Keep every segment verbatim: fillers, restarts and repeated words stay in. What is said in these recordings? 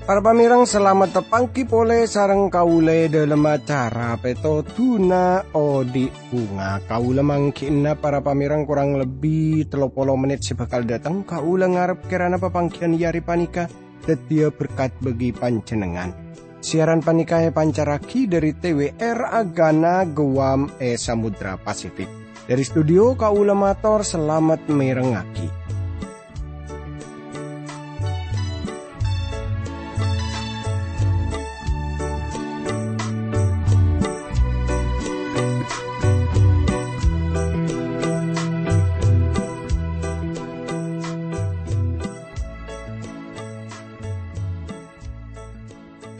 Para pamèrèng, salamet tapangghi polè sareng kaulâ è dhâlem acara Pètodhuna Odi' Bhunga. Kaulâ mangghi'na para pamèrèng korang lebbi tello polo mennit sè bhâkal dhâteng. Kaulâ ngarep kèrana papangghiyân è arè panèka dhâddhiyâ berkat bagi panjhennengngan. Siaran panèka èpancarraghi dhâri T W R Agana Guam è Samudra Pasifik. Dhâri studio kaulâ mator salamet mèrengngaghi.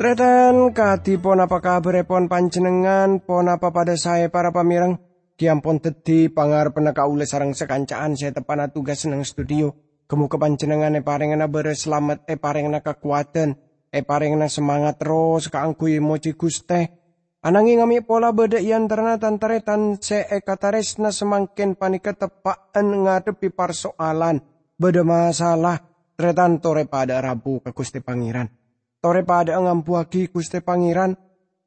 Tarètan, kadhi ponapa kabhârèpon panjhennengngan? Ponapa padâ saè, para pamèrèng? Ghi' ampon dhâddhi pangarebbhânna kaulâ sareng sakanca'an sè teppa'na tugas neng studio. Ghi' moghâ panjhennengngan èparèngana bârâs salamet, èparèngana kakowadhân, èparèngana samangat terros kaangghuy mojhi Ghustè. Ananghing mè' pola bâdâ è antarana tan-tarètan sè èkatarèsna samangkèn panèka teppa'an ngadhebbhi parsoalan, bâdâ masalah. Tarètan, torè padâ'â rabu ka Ghustè Pangèran. Torè padâ'â ngambuwâghi Ghustè Pangèran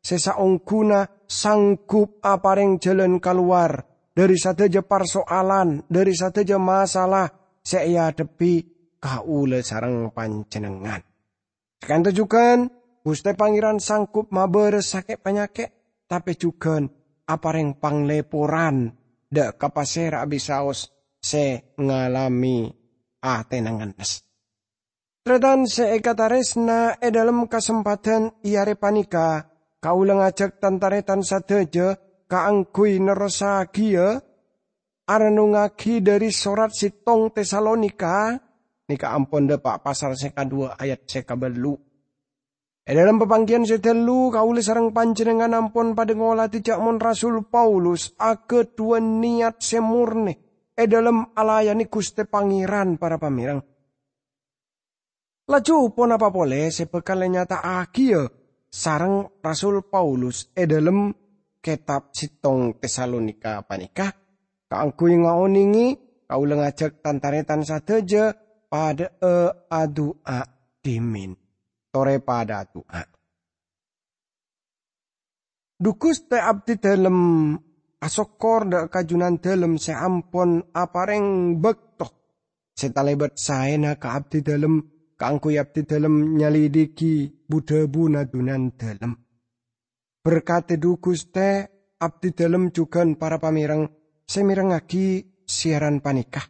sè saongghuna sanggup aparèng jhâlân kalowar dhâri sadhâjâ parsoalan, dhâri sadhâjâ masalah sè èadhebbhi kaulâ sareng panjhennengngan. Saka'dinto jhughân, Ghustè Pangèran sanggup mabârâs sakè' panyakè', tapè jhughân aparèng panglèporan dâ' ka pasèra bisaos sè ngalamè atèna ngennes. Tarètan sè èkatarèsna, è dhâlem kasempadhân è arè panèka, kaulâ ngajhâk tan-tarètan sadhâjâ kaangghuy nerrossaghiyâ arennungngaghi dhâri sorat sèttong Tesalonika, nèka ampon dâpa' pasal sè kaduwâ ayat sè kabâllu'. È dhâlem papangghiyân sè ghâllu, kaulâ sareng panjhennengngan ampon padâ ngolatè jhâ' mon Rasul Paulus aghâdhuwân niyat sè mornè è dhâlem alayanè Ghustè Pangèran, para pamèrèng. Laju ponapa polè sè bhâkal ènyata'aghiyâ sareng Rasul Paulus è dhâlem kètab sèttong Tesalonika panèka? Kaangghuy ngaonèngè, kaulâ ngajhâk tan-tarètan sadhâjâ padâ'â adu'a dhimèn. Torè padâ adu'a. Dhu Ghustè, abdhidhâlem asokkor dâ' ka Junandhâlem sè ampon aparèng bâkto sè talèbât saèna ka abdhidhâlem kaangghuy abdhidhâlem nyalidhighi bu-dhâbuna Junandhâlem. Berkadhi, dhu Ghustè, abdhidhâlem jhughân para pamèrèng sè mèrengngaghi siaran panèka.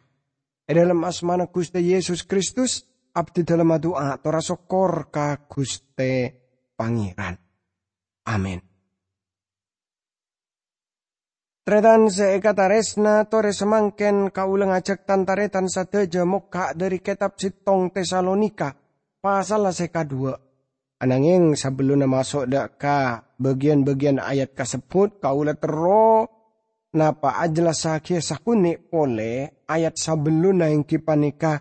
È dhâlem asmana Ghustè Yesus Kristus, abdhidhâlem adu'a tor asokkor ka Ghustè Pangèran. Amin. Tarètan sè èkatarèsna, torè samangkèn kaulâ ngajhâk tan-tarètan sadhâjâ mokka' dhâri kètab sèttong Tesalonika, pasalla sè kaduwâ'. Ananghing sabellunna maso' dâ' ka bâgiyân-bâgiyân ayat kasebbhut, kaulâ terro napa ajhellassaghiyâ sakonè' polè ayat sabellunna, èngghi panèka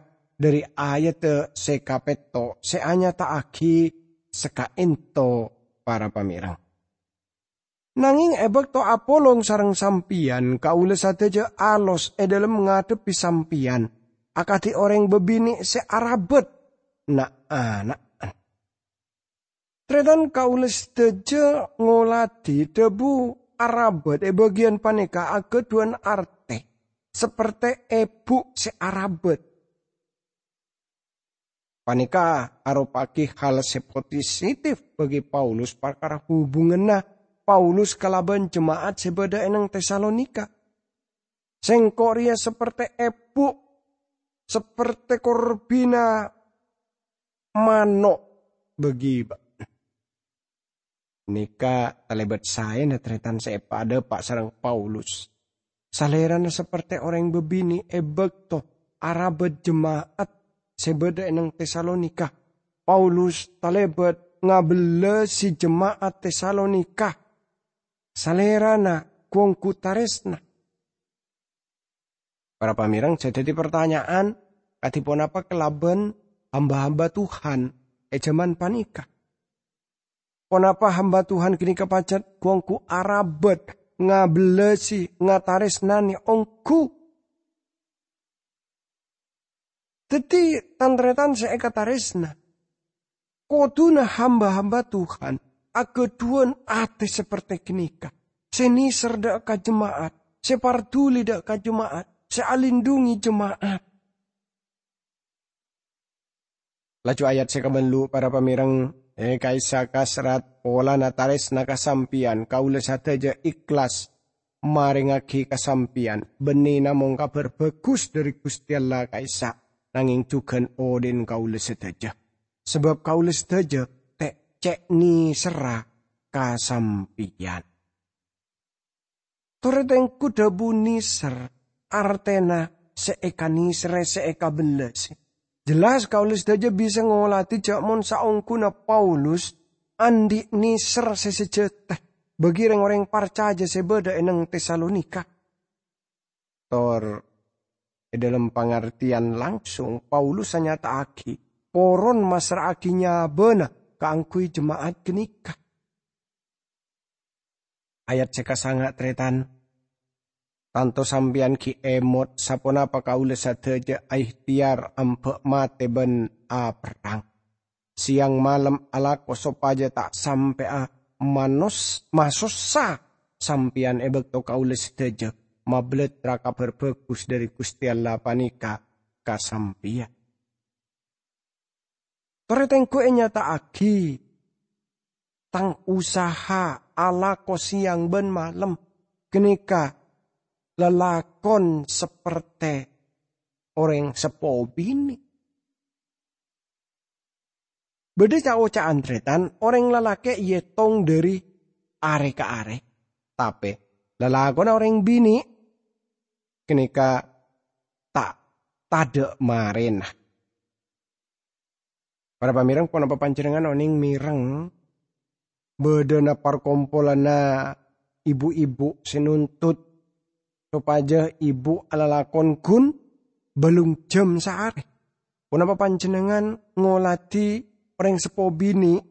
dhâri ayadda sè kapètto' sè anyata'aghi saka'dinto para pamèrèng. Nangèng è bâkto apolong sareng sampèyan, kaulâ sadhâjâ alos è dhâlem ngadhebbhi sampèyan, akadhi orèng bâbinè' sè arabât na'-ana'an. Tarètan, kaulâ sadhâjâ ngolatè dhâbu arabât è bâgiyân panèka aghâdhuwân artè sapertè èbhu' sè arabât. Panèka aropa'aghi hal sè positif bagi Paulus parkara hubunganna Paulus kalabân jema'at sè bâdâ è neng Tesalonika. "Sèngko' rèya sapertè èbhu', sapertè korbhina mano' bagi bâ'na." Nèka talèbât saèna tarètan sè èpadâpa' sareng Paulus. Salèrana sapertè orèng bâbinè' è bâkto arabât jema'at sè bâdâ è neng Tesalonika. Paulus talèbât ngabellasi jema'at Tesalonika. Salèrana ghu-ongghu tarèsna. Para pamèrèng, sè dhâddhi partanya'an, kadhi ponapa kalabân hamba-hamba Tuhan è jhâman panèka? Ponapa hamba Tuhan ghânèka pajhât ghu-ongghu arabât, ngabellasi, ngatarèsnanè ongghu? Dhâddhi, tan-tarètan sè èkatarèsna, kodhuna hamba-hamba Tuhan aghâdhuwân atè saperte ghânèka, sè nèser dhâ' ka jema'at, sè parduli dhâ' ka jema'at, sè alindhungi jema'at. Laju ayat sè kabâllu', para pamèrèng, è ka'issa' kasrat polana tarèsna ka sampèyan, kaulâ sadhâjâ èhlas marèngngaghi ka sampèyan, bânnè namong Kabhâr Bhâghus dhâri Ghustè Allah ka'issa', nangèng jhughân odi'na kaulâ sadhâjâ. Sabâb kaulâ sadhâjâ tè-, cè' nèserra ka sampèyan. Torè tèngghu dhâbu nèser, artèna sè èkanèserrè, sè èkabellasi. Jelas kaulâ sadhâjâ bisa ngolatè jhâ' mon saongghuna Paulus andi' nèser sè sajhâta bagi rèng-orèng parcajâ sè bâdâ è neng Tesalonika. Tor è dhâlem pangartèyan langsung, Paulus anyata'aghi poron massra'aghi nyabâna kaangghuy jema'at ghânèka. Ayat sè kasanga', tarètan. Tanto sampèyan ghi' èmot saponapa kaulâ sadhâjâ aèhtèyar amba' matè bân aperrang. Sèyang malem alako sopajâ ta' sampè'a manos-, masossa sampèyan è bâkto kaulâ sadhâjâ mabellâtra Kabhâr Bhâghus dhâri Ghustè Allah panèka ka sampèyan. Torè tèngghu ènyata'aghi, tang usaha alako sèyang bân malem ghânèka lalakon saperte orèng seppo binè'. Bâdâ ca'-oca'an tarètan orèng lalakè' èyètong dhâri arè ka arè, tapè lalakonna orèng binè' ghânèka ta' tadâ' marèna. Para pamèrèng, ponapa panjhennengngan onèng mèreng bâdâna parkompolanna ibu-ibu sè nuntut sopajâ ibu alalakon ghun bâlung jhâm saarè? Ponapa panjhennengngan ngolatè orèng seppo binè'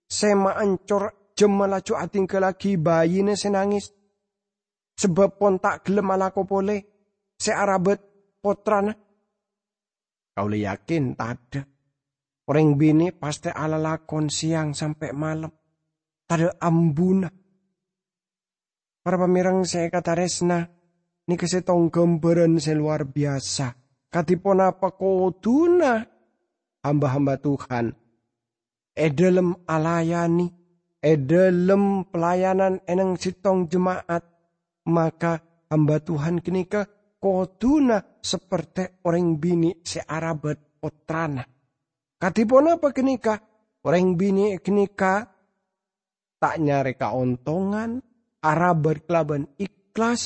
sè maancor jhâmma laju adhinggâllaghi bâjina sè nangès, sabâb pon ta' ghellem alako polè sè arabât pottrana? Kaulâ yakin tadâ'. Orèng binè' pastè alalakon sèyang sampè' malem, tadâ' ambuna. Para pamèrèng sè èkatarèsna, nèka sèttong ghâmbhârân sè lowar biyasa kadhi ponapa kodhuna hamba-hamba Tuhan è dhâlem alayanè, è dhâlem pelayanan è neng sèttong jema'at, maka hamba Tuhan ghânèka kodhuna saperte orèng binè' sè arabât pottrana. Kadhi ponapa ghânèka? Orèng binè' ghânèka ta' nyarè kaontongan, arabât kalabân ikhlas,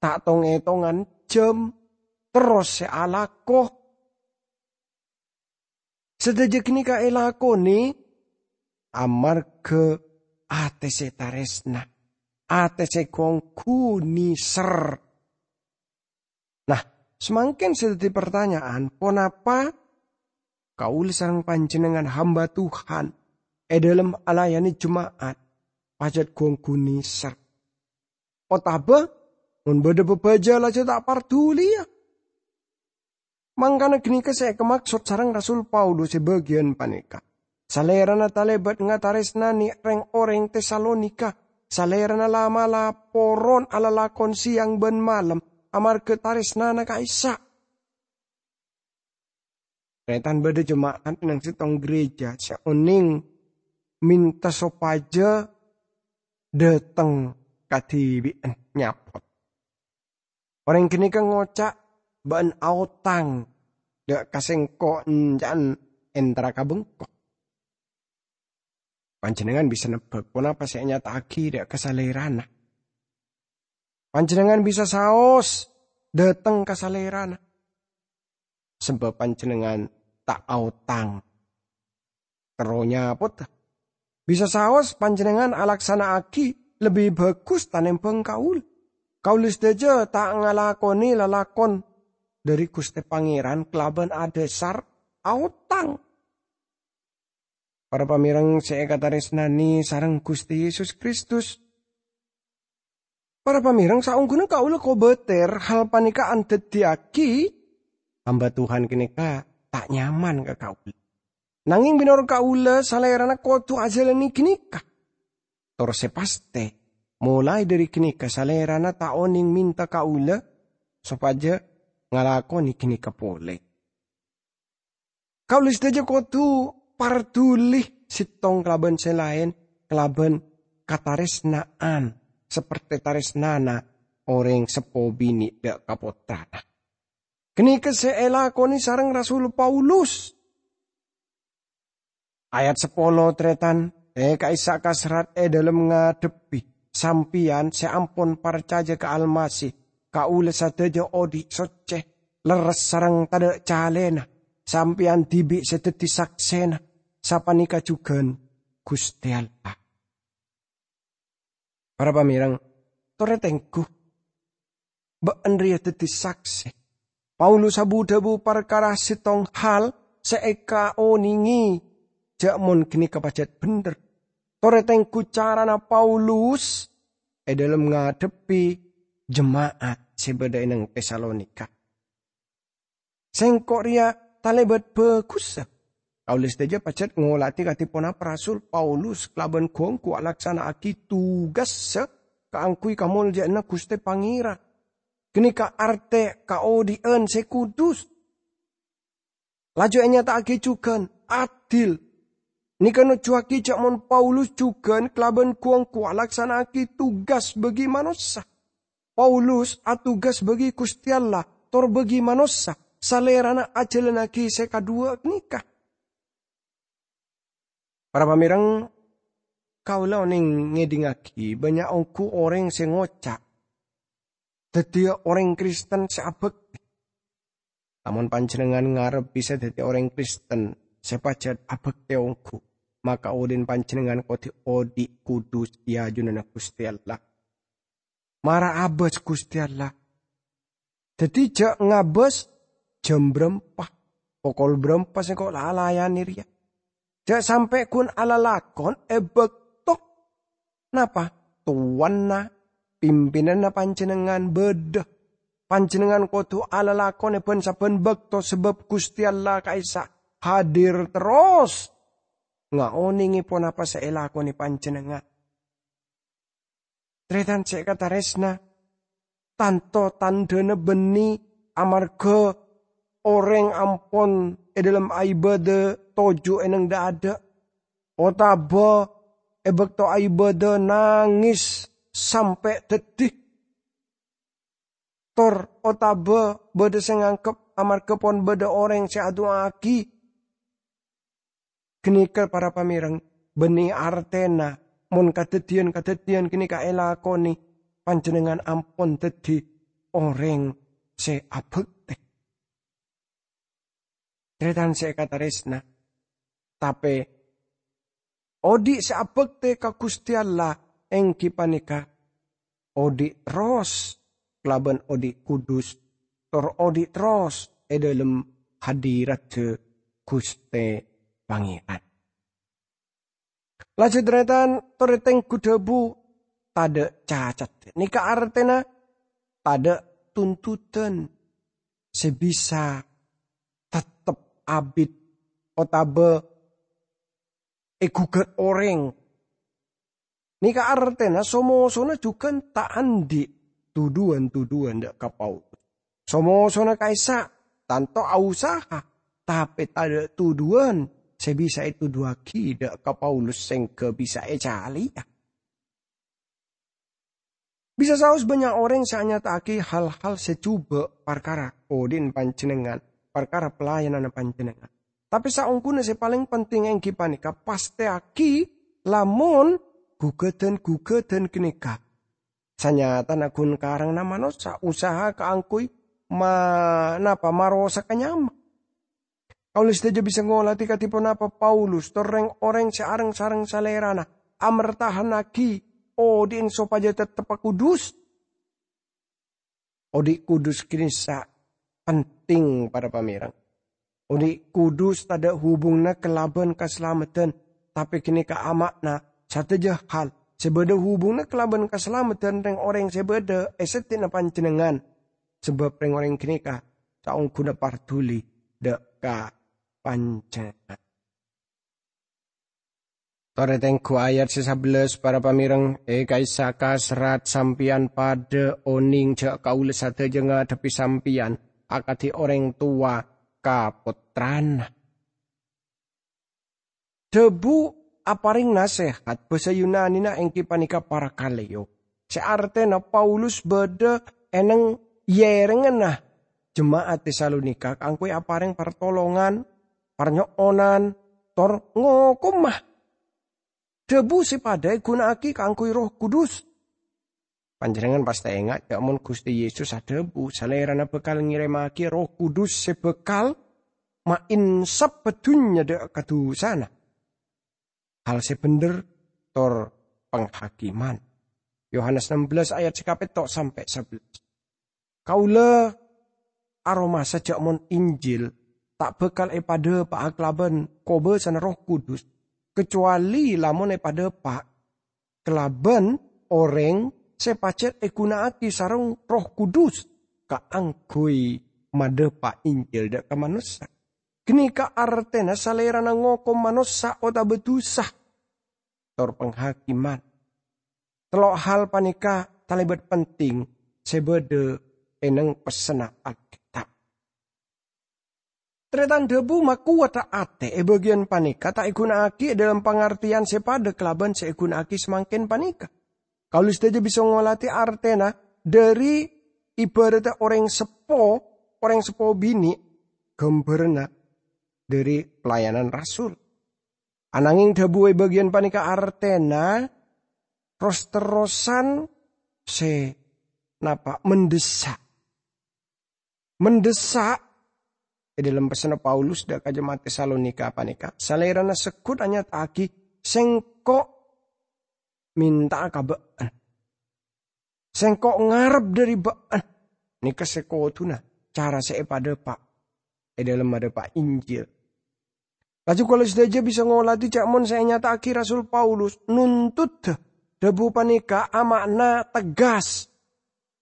ta' tong-ètongan jhâm, terros sè alako. Sadhâjâ ghânèka èlakonè amarghâ atè sè tarèsna, atè sè ghu-ongghu nèser. Nah, samangkèn sè dhâddhi partanya'an, ponapa kaulâ sareng panjhennengngan hamba Tuhan è dhâlem alayanè jema'at pajhât ghu-ongghu nèser? Otabâ, mon bâdâ bhâbhâjâ laju ta' parduliyâ? Mangkana ghânèka sè èkamaksod sareng Rasul Paulus è bâgiyân panèka. Salèrana talèbât ngatarèsnanè rèng-orèng Tesalonika. Salèrana la'-mala' poron alalakon sèyang bân malem amarghâ tarèsnana ka'issa'. Tarètan, bâdâ jema'at neng sèttong gereja sè onèng mènta sopajâ dâteng kadhibi'ân nyapot. Orèng ghânèka ngoca', "Bâ'na aotang dâ' ka sèngko' enca'na entara ka bengko." Panjhennengngan bisa nebbhâk ponapa sè ènyata'aghi dâ' ka salèrana. Panjhennengngan bisa saos dâteng ka salèrana, sabâb panjhennengngan ta' aotang. Terro nyapot, bisa saos panjhennengngan alaksana'aghi lebbi bhâghus tanèmbhâng kaulâ. Kaulâ sadhâjâ ta' ngalakonè lalakon dhâri Ghustè Pangèran kalabân adhâsar aotang. Para pamèreng sè èkatarèsnanè sareng Ghustè Yesus Kristus. Para pamèreng, saongghuna kaulâ kobâtèr hal panèka andaddiyâghi, hamba Tuhan ghânèka ta' nyaman ka kaulâ. Nangèng mènorot kaulâ, Salèrana kodhu ajhâlânè ghânèka. Tor sè pastè, molaè dhâri ghânèka Salèrana ta' onèng mènta kaulâ sopajâ ngalakonè ghânèka polè. Kaulâ sadhâjâ kodhu parduli sèttong kalabân sè laèn kalabân katarèsna'an, sapertè tarèsnana orèng seppo binè' dâ' ka pottrana. Ghânèka sè èlakonè sareng Rasul Paulus. Ayat sapolo, tarètan, è ka'issa' kaserrat è dhâlem ngadhebbhi sampèyan sè ampon parcajâ ka Almasih, kaulâ sadhâjâ odhi' soccè, lerres sareng tadâ' calèna. Sampèyan dhibi' sè dhâddhi saksèna, sapanèka jhughân Ghustè Allah. Para pamèreng, torè tengghu, bâ'na rèya dhâddhi saksè. Paulus abu-dhâbu parkara sèttong hal sè èkaonèngè jâ' mon ghânèka pajhât bhendher. Torè tengghu carana Paulus è dhâlem ngadhebbhi jema'at sè bâdâ è neng Tesalonika. Sèngko' rèya talèbât bhâghussa. Kaulâ sadhâjâ pajhât ngola'è kadhi ponapa Rasul Paulus kalabân gu-ongghu alaksana'aghi tugassa kaangghuy kamolja'anna Ghustè Pangèran. Ghânèka artè kaodhi'ân sè kudus. Laju ènyata'aghi jhughân adil. Nèka nojjuwâghi jâ' mon Paulus jhughân kalabân gu-ongghu alaksana'aghi tugas bâgi manossa. Paulus atugas bâgi Ghustè Allah, tor bâgi manossa, Salèrana ajhâlânnaghi sè kadhuwâ ghânèka. Para pamèreng, kaulâ onèng ngèdingngaghi bânnya' ongghu orèng sè ngoca', "Dhâddhiyâ orèng Kristen sè abhâktè." Lamon panjhennengngan ngarep bisa dhâddhi orèng Kristen sè pajhât abhâktè ongghu, maka odi'na panjhennengngan kodhu odhi' kudus è ajunanna Ghustè Allah. Mara abâs Ghustè Allah. Dhâddhi jâ' ngabâs jam bârâmpa, pokol bârâmpa sèngko' la alayanè rèya. Jâ' sampè' ghun alalakon è bâkto napa? Towanna, pimpinanna panjhennengngan bâdâ. Panjhennengngan kodhu alalakon è bân-sabbhân bâkto, sabâb Ghustè Allah ka'issa' hadir terros ngaonèngè ponapa sè èlakonè panjhennengngan. Tarètan sè èkatarèsna, tanto tandhâna bânnè amarghâ orèng ampon è dhâlem aibâdâ toju' è neng dâ'-adâ', otabâ è bâkto aibâdâ nangès sampè' dhâddhi, tor otabâ bâdâ sè nganggep amarghâ pon bâdâ orèng sè adu'aaghi. Ghânèka, para pamèreng, bânnè artèna mon kadhâddhiyân-kadhâddhiyân ghânèka èlakonè, panjhennengngan ampon dhâddhi orèng sè abhâktè. Tarètan sè èkatarèsna, tapè odhi' sè abhâktè ka Ghustè Allah èngghi panèka odhi' terros kalabân odhi' kudus, tor odhi' terros è dhâlem hadiradda Ghustè Pangèran. Laju tarètan, torè tengghu dhâbu, tadâ' cacadda. Nèka artèna tadâ' tuntutan sè bisa tettep abit otabâ èghugât orèng. Nèka artèna so-mosona jhughân ta' andi' tuduwân-tuduwân dâ' ka Paulus. So-mosona ka'issa' tanto ausaha, tapè tadâ' tuduwân sè bisa ètuduwâghi dâ' ka Paulus sèngghâ bisa ècalèya. Bisa saos bânnya' orèng sè anyata'aghi hal-hal sè jhubâ' parkara odi'na panjhennengngan, parkara pelayananna panjhennengngan. Tapè saongghuna sè palèng penting èngghi panèka pastèyaghi lamon ghugâdhân-ghugâdhân ghânèka sanyatana ghun karangna manossa usaha kaangghuy ma-, napa, marosaka nyama. Kaulâ sadhâjâ bisa ngolatè kadhi ponapa Paulus tor rèng-orèng sè areng-sareng Salèrana amertahannaghi odi'na sopajâ tetteppa kudus. Odhi' kudus ka'issa' penting, para pamèreng. Odhi' kudus tadâ' hubunganna kalabân kasalameddhân, tapè ghânèka ama'na sadhâjâ hal sè bâdâ hubunganna kalabân kasalamedhân rèng-orèng sè bâdâ è seddi'na panjhennengngan, sabâb rèng-orèng ghânèka saongghuna parduli dâ' ka panjhennengngan. Torè tengghu ayat sè sabellâs, para pamèreng, è ka'issa' kaserrat sampèyan padâ onèng jâ' kaulâ sadhâjâ ngadhebbhi sampèyan akadhi orèng towa ka pottrana. Dhâbu aparèng nasèhat bhâsa Yunanina èngghi panèka parakaleo, sè artèna Paulus bâdâ è neng-, è èrèngnganna jema'at Tesalonika kaangghuy aparèng partolongan, parnyo'onan, tor ngokoma. Dhâbu sè padâ èghuna'aghi kaangghuy Erroh Kudus. Panjhennengngan pastè enga' jâ' mon Ghustè Yesus adhâbu, Salèrana bhâkal ngèrèmmaghi Erroh Kudus sè bhâkal maènsap dhunnya dâ' ka dusana, hal sè bhendher, tor panghakiman. Yohanes ennem belas ayat sè kapètto' sampè' sabellâs. Kaulâ aromasa jâ' mon Injil ta' bhâkal èpadâpa'a kalabân kobâsana Erroh Kudus, kacowalè lamon èpadâpa' kalabân orèng sè pajhât èghuna'aghi sareng Erroh Kudus kaangghuy madâpa' Injil dâ' ka manossa. Ghânèka artèna Salèrana ngokom manossa otabâ dusa, tor panghakiman. Tello' hal panèka talèbât penting sè bâdâ è neng pessenna Alkètab. Tarètan dhâbu makowadhâ atè è bâgiyân panèka ta' èghuna'aghi è dhâlem pangartèyan sè padâ kalabân sè èghuna'aghi samangkèn panèka. Kaulâ sadhâjâ bisa ngolatè artèna dhâri ibhârâddhâ orèng seppo, orèng seppo binè', ghâmbhârânna dhâri pelayanan rasul. Anangèng dhâbu è bâgiyân panèka artèna ros-terrosan sè napa? Mendessa'. Mendessa' è dhâlem pessenna Paulus dâ' ka jema'at Tesalonika panèka, Salèrana segghut anyata'aghi, "Sèngko' mènta'a ka bâ'na. Sèngko' ngarep dhâri bâ'na." Nèka sè kodhuna cara sè èpadâpa' è dhâlem madâpa' Injil. Laju kaulâ sadhâjâ bisa ngolatè jâ' mon sè ènyata'aghi Rasul Paulus nontoddhâ dhâbu panèka ama'na tegas,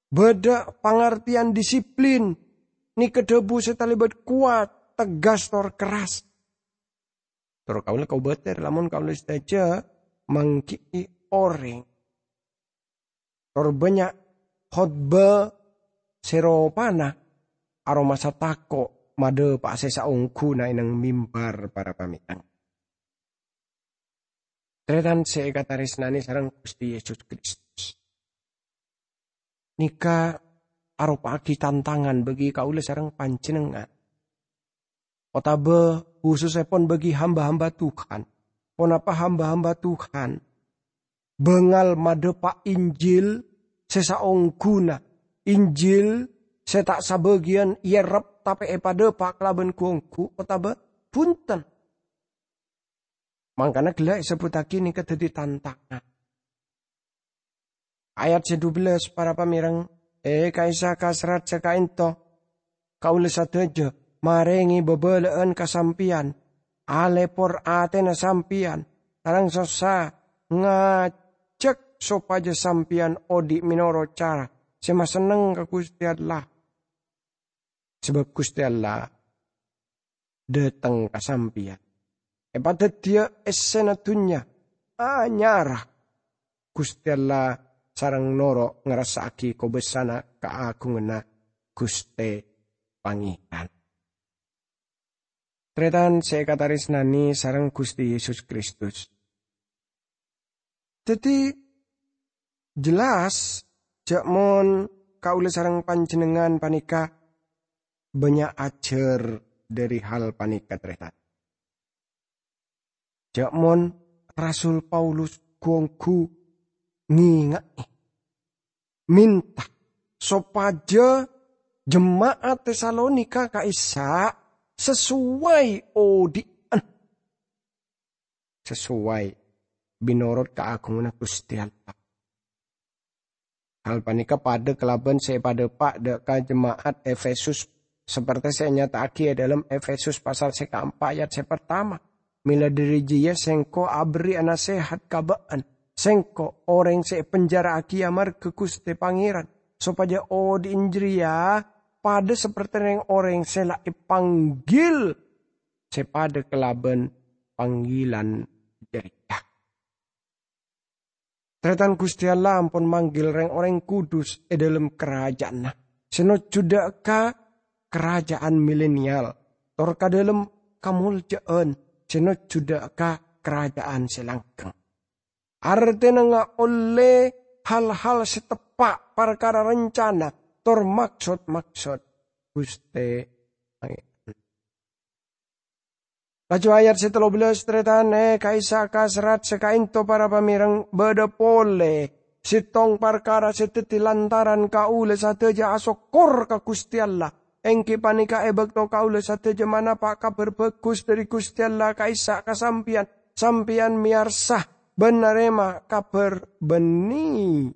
bâdâ pangartèyan disiplin, nèka dhâbu sè talèbât kowat, tegas, tor kerras. Tor kaulâ kobâtèr lamon kaulâ sadhâjâ mangghi'i orèng tor bânnya' khotbah sè ropana aromasa tako' madâpa'a sè saongghuna è neng mimbar, para pamètang. Tarètan sè èkatarèsnanè sareng Ghustè Yesus Kristus. Nèka aropa'aghi tantangan bagi kaulâ sareng panjhennengngan. Otabâ husussèpon bagi hamba-hamba Tuhan. Ponapa hamba-hamba Tuhan? Bângal madâpa' Injil sè saongghuna, Injil sè ta' sabâgiyân èyerrep tapè èpadâpa' kalabân ghu-ongghu otabâ bhunten. Mangkana ghellâ' èsebbhuttaghi nèka dhâddhi tantangan. Ayat sè dubellâs, para pamèreng, è ka'issa' kaserrat sè ka'ènto, kaulâ sadhâjâ marèngè bâbâlâ'ân ka sampèyan, alèpor atèna sampèyan, sareng sossa ngajhâk sopajâ sampèyan odi' mènorot cara sè masenneng ka Ghustè Allah. Sabâb Ghustè Allah dâteng ka sampèyan, èpadhâddhiyâ èssèna dhunnya anyarra Ghustè Allah sareng noro' ngrassaaghi kobâsana kaagunganna Ghustè Pangèran. Tarètan sè èkatarèsnanè sareng Ghustè Yesus Kristus. Dhâddhi, jelas jâ' mon kaulâ sareng panjhennengngan panèka bânnya' ajhâr dhâri hal panèka, tarètan. Jâ' mon Rasul Paulus ghu-ongghu ngènga'è, mènta sopajâ jema'at Tesalonika ka'issa' sasowai odi'an, sasowai mènorot kaagunganna Ghustè Allah. Hal panèka padâ kalabân sè èpadâpa' dâ' ka jema'at Efesus, saperte sè ènyata'aghi è dhâlem Efesus pasal sè kaempa' ayat sè partama. Mèla dhâri jârèya sèngko' aberri' nasèhat ka bâ'ân, sèngko' orèng sè èpenjaraaghi amarghâ Ghustè Pangèran, sopajâ odi'na jârèya padâ sapertè rèng-orèng sè la èpanggil, sè padâ kalabân panggilan jârèya. Tarètan, Ghustè Allah ampon manggil rèng-orèng kudus è dhâlem karaja'anna, sè nojjhudhâ ka karaja'an milenial, tor ka dhâlem kamoljâ'ân sè nojjhudhâ ka karaja'an sè langghâng. Artèna ngaollè hal-hal sè teppa' parkara rencana tor maksod-maksod Ghustè Pangèran. Laju ayat sè tello bellâs, tarètan, è ka'issa' ka serrat sè ka'ènto para pamèreng bâdâ polè sèttong parkara sè dhâddhi lantaran kaulâ sadhâjâ asokkor ka Ghustè Allah, èngghi panèka è bâkto kaulâ sadhâjâ manapa' Kabhâr Bhâghus dhâri Ghustè Allah ka'issa' ka sampèyan, sampèyan mèyarsa bân narèma kabhâr bânnè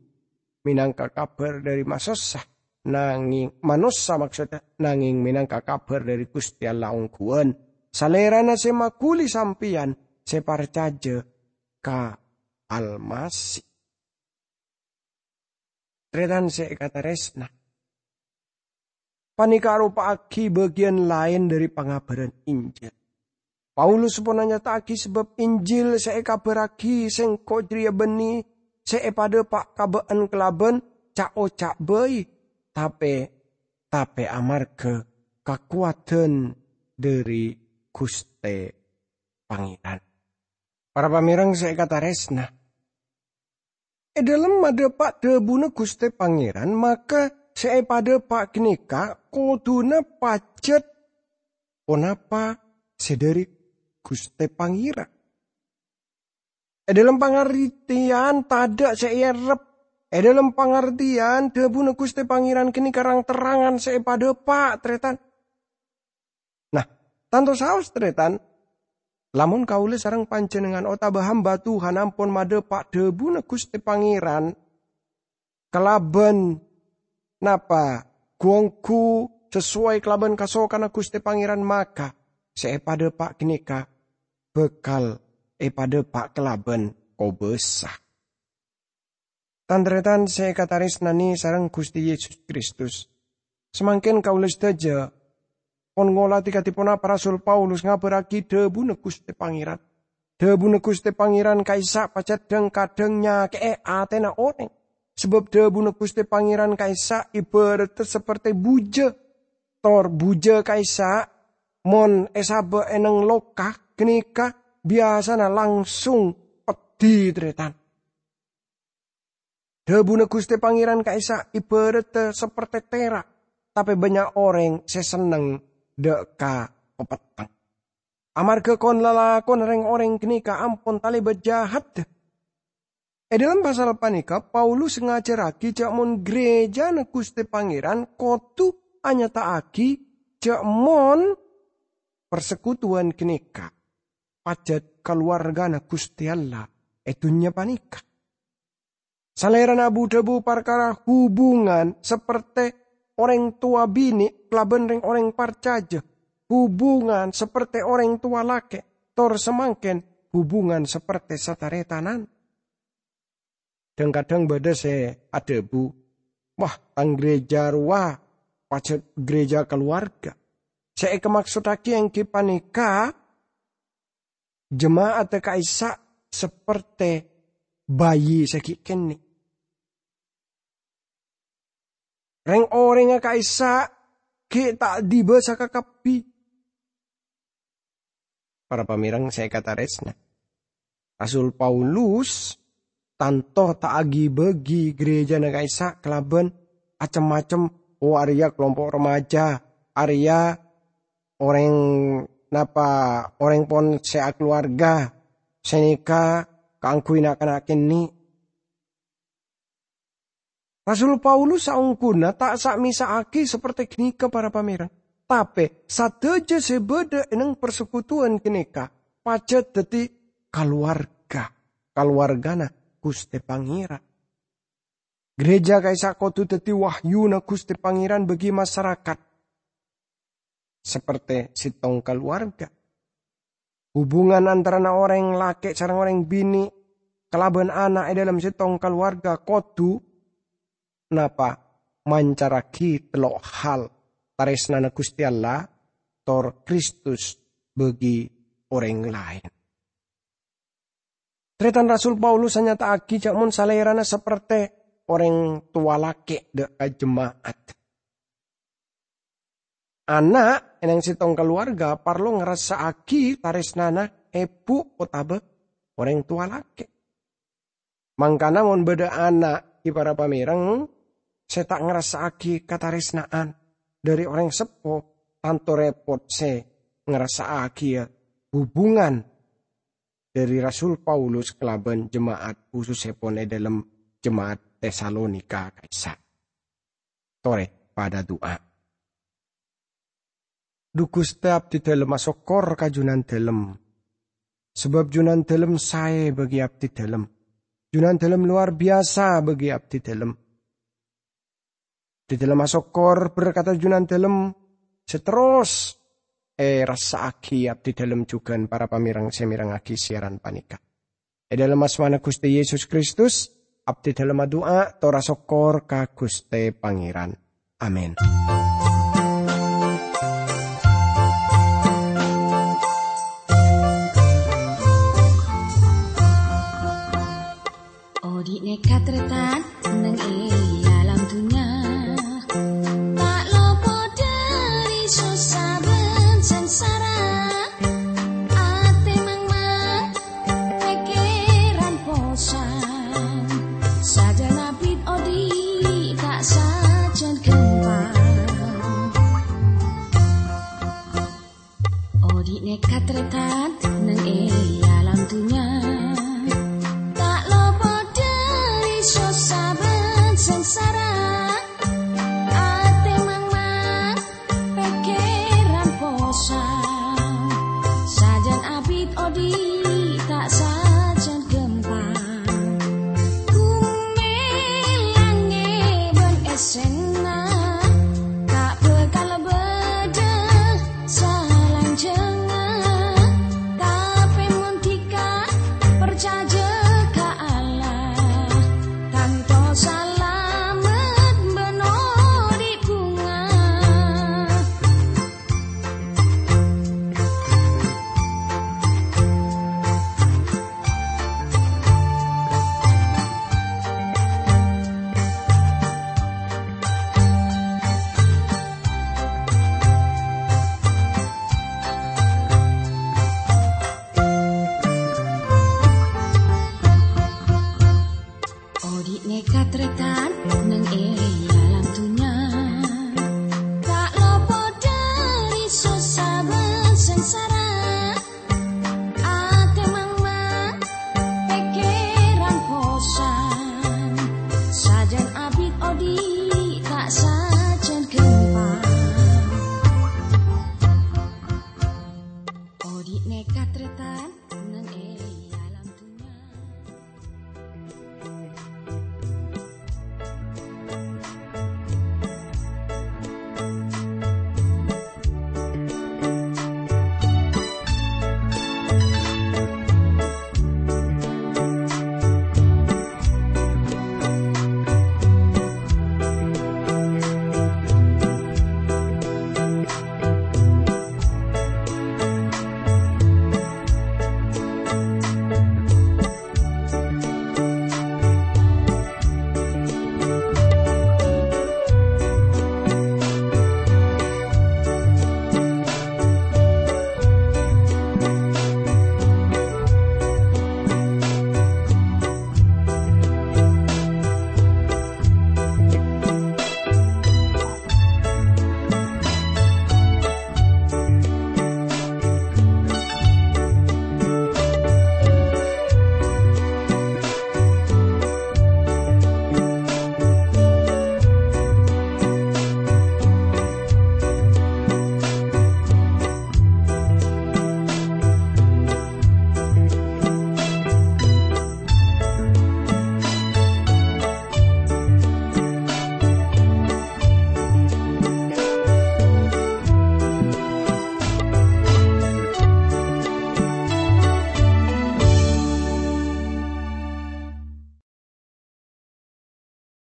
mènangka kabhâr dhâri masossa, nangèng, manossa maksodda, nangèng mènangka kabhâr dhâri Ghustè Allah ongghuwân, Salèrana sè maghuli sampèyan sè parcajâ ka Almasih. Tarètan sè èkatarèsna, panèka aropa'aghi bâgiyân laèn dhâri pangabhârân Injil. Paulus pon anyata'aghi sabâb Injil sè èkabhârraghi sèngko' jârèya bânnè sè èpadâpa' ka bâ'ân kalabân ca'-oca' bhâi, tapè, tapè amarghâ kakowadhân dhâri Ghustè Pangèran. Para pamèreng sè èkatarèsna, è dhâlem madâpa' dhâbuna Ghustè Pangèran, maka sè èpadâpa' ghânèka kodhuna pajhât ponapa sè dhâri Ghustè Pangèran. È dhâlem pangartèyan tadâ' sè èerrep, è dhâlem pangartèyan dhâbuna Ghustè Pangèran ghânèka rang-terrangan sè èpadâpa', tarètan. Nah, tanto saos, tarètan, lamon kaulâ sareng panjhennengngan otabâ hamba Tuhan ampon madâpa' dhâbuna Ghustè Pangèran kalabân napa, ghu-ongghu sasowai kalabân kasokanna Ghustè Pangèran, maka sè èpadâpa' ghânèka bhâkal èpadâpa' kalabân kobâsa. Tan-tarètan sè èkatarèsnanè sareng Ghustè Yesus Kristus, samangkèn kaulâ sadhâjâ pon ngolatè kadhi ponapa Rasul Paulus ngabhârraghi dhâbuna Ghustè Pangèran. Dhâbuna Ghustè Pangèran ka'issa' pajhât dhâng-kadhâng nyakè'è atèna orèng. Sabâb dhâbuna Ghustè Pangèran ka'issa' ibhârâddhâ sapertè bujâ. Tor bujâ ka'issa' mon èsabâ' è nèng loka ghânèka biyasana langsung peddhi, tarètan. Dhâbuna Ghustè Pangèran ka'issa' ibhârâddhâ sapertè tèra', tapè bânnya' orèng sè senneng dâ' ka papetteng. Amarghâ kon-lalakonna rèng-orèng ghânèka ampon talèbât jâhâddhâ. È dhâlem pasal panèka, Paulus ngajhârraghi jâ' mon ghârèjâna Ghustè Pangèran kodhu anyata'aghi jâ' mon parsekutuwan ghânèka pajhât kalowarghâna Ghustè Allah è dhunnya panèka. Salèrana abu-dhâbu parkara hubungan sapertè orèng towa binè' kalabân rèng-orèng parcajâ, hubungan sapertè orèng towa lakè', tor samangkèn hubungan sapertè sataretanan. Dhâng-kadhâng bâdâ sè adhâbu, "Wah, tang ghârèjâ rowa pajhât ghârèjâ kalowarga." Sè èkamaksoddhâghi èngghi panèka jema'adda ka'issa' sapertè bayi sè ghi' kènè'. Rèng-orèngnga ka'issa' ghi' ta' dibâsa kakabbhi. Para pamèreng sè èkatarèsna, Rasul Paulus tanto ta' aghi-bâghi ghârèjâna ka'issa' kalabân cem-macem, oh, arèya kalompo' remaja, arèya orèng napa, orèng pon sè akalowarga, sè nèka kaangghuy na'-kana' kènè'. Rasul Paulus saongghuna ta' sa'-mèsa'aghi sapertè ghânèka, para pamèreng. Tapè, sadhâjâ sè bâdâ è nèng parsekutuwan ghânèka pajhât dhâddhi kalowarga, kalowargana Ghustè Pangèran. Ghârèjâ ka'issa' kodhu dhâddhi wahyuna Ghustè Pangèran bagi masarakat, sapertè sèttong kalowarga. Hubungan antarana orèng lakè' sareng orèng binè' kalabân ana' è dhâlem sèttong kalowarga kodhu napa? Mancarraghi tello' hal: tarèsnana Ghustè Allah, tor Kristus bagi orèng laèn. Tarètan Rasul Paulus anyata'aghi jhâ' mon salèrana saperte orèng towa lakè' dhâ' ka jema'at. Ana' è neng sèttong kalowarga parlo ngarassa'aghi tarèsnana ebu otabâ orèng towa lakè'. Mangkana mon bâdâ ana' è para pamèreng sè ta' ngarassa'aghi katarèsnaan dhâri orèng seppo, tanto rèpot sè ngarassa'aghiyâ hubungan dhâri Rasul Paulus kalabân jema'at, khusussèpon è dhâlem jema'at Tesalonika ka'issa'. Torè padâ du'a. Dhu Ghustè, abdhidhâlem asokkor ka Junandhâlem, sabâb Junandhâlem saè bagi abdhidhâlem. Junandhâlem lowar biyasa bagi abdhidhâlem. Abdhidhâlem asokkor berkata Junandhâlem sè terros èrassa'aghi abdhidhâlem jhughân para pamèreng sè mèrengngaghi siaran panèka. È dhâlem asmana Ghustè Yesus Kristus, abdhidhâlem adu'a tor asokkor ka Ghustè Pangèran. Amin.